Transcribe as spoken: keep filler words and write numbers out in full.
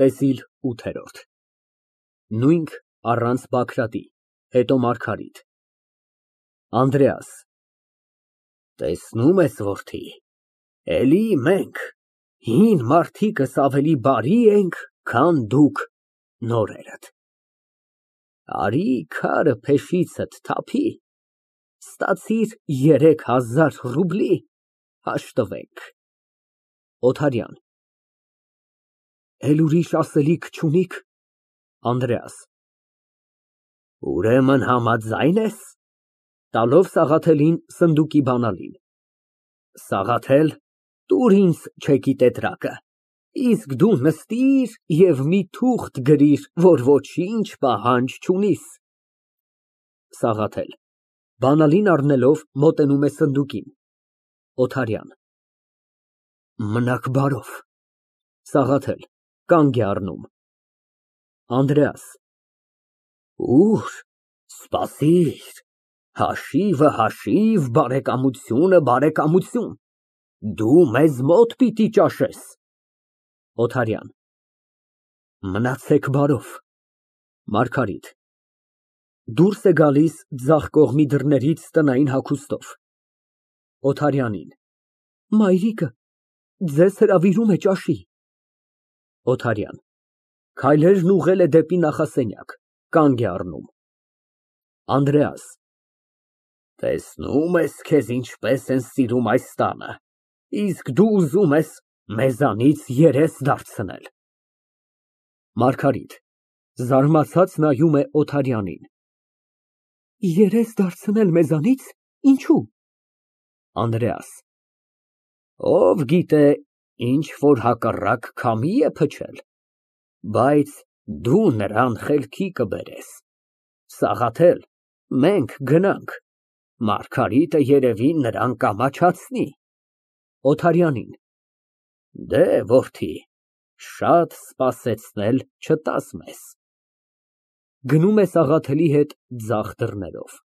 ՏԵՍԻԼ ՈՒԹԵՐՈՐԴ Նույնք առանց Բագրատի, հետո Մարգարիտ ԱՆԴՐԵԱՍ ֊ Տեսնում ես, որդի, էլի մենք, հին մարդիկս ավելի բարի ենք, քան դուք նորերդ, արի քարը փեշիցդ թափի, ստացիր երեք հազար ռուբլի, հաշտվենք։ ՕԹԱՐՅԱՆ ֊ Էլ ուրիշ ասելիք չունի՞ք։ ԱՆԴՐԵԱՍ ֊ Ուրեմն համաձա՞յն ես։ (Տալով Սաղաթելին սնդուկի բանալին) Սաղաթել, տուր ինձ չեկի տետրակը, իսկ դու նստիր և մի թուղթ գրիր, որ ոչինչ պահանջ չունիս։ ՍԱՂԱԹԵԼ ֊ (Բանալին առնելով, մոտենում է սնդուկին) ՕԹԱՐՅԱՆ ֊ Մնաք բարով։ ՍԱՂԱԹԵԼ ֊ (Կանգ է առնում) ԱՆԴՐԵԱՍ ֊ Ուր, սպասիր, հաշիվը հաշիվ, բարեկամությունը բարեկամություն, դու մեզ մոտ պիտի ճաշես։ ՕԹԱՐՅԱՆ ֊ Մնացեք բարով։ ՄԱՐԳԱՐԻՏ ֊ (Դուրս է գալիս ձախ կողմի դռներից տնային հագուստով) ՕԹԱՐՅԱՆին Մայրիկը ձեզ հրավիրում է ճաշի։ ՕԹԱՐՅԱՆ ֊ (Քայլերն ուղղել է դեպի նախասենյակ, կանգ է առնում) ԱՆԴՐԵԱՍ ֊ Տեսնում ես, քեզ ինչպես են սիրում այս տանը, իսկ դու ուզում ես մեզանից երես դարձնել։ ՄԱՐԳԱՐԻՏ ֊ (Զարմացած նայում է Օթարյանին) Երես դարձնել մեզանի՞ց, ինչո՞ւ։ ԱՆԴՐԵԱՍ ֊ Ով գիտե, ինչ որ հակառակ քամի է փչել, բայց դու նրան խելքի կբերես։ Սաղաթել, մենք գնանք, Մարգարիտը երևի նրան կամաչացնի։ (Օթարյանին) Դեհ, որդի, շատ սպասեցնել չտաս մեզ։ (Գնում է Սաղաթելի հետ ձախ դռներով)։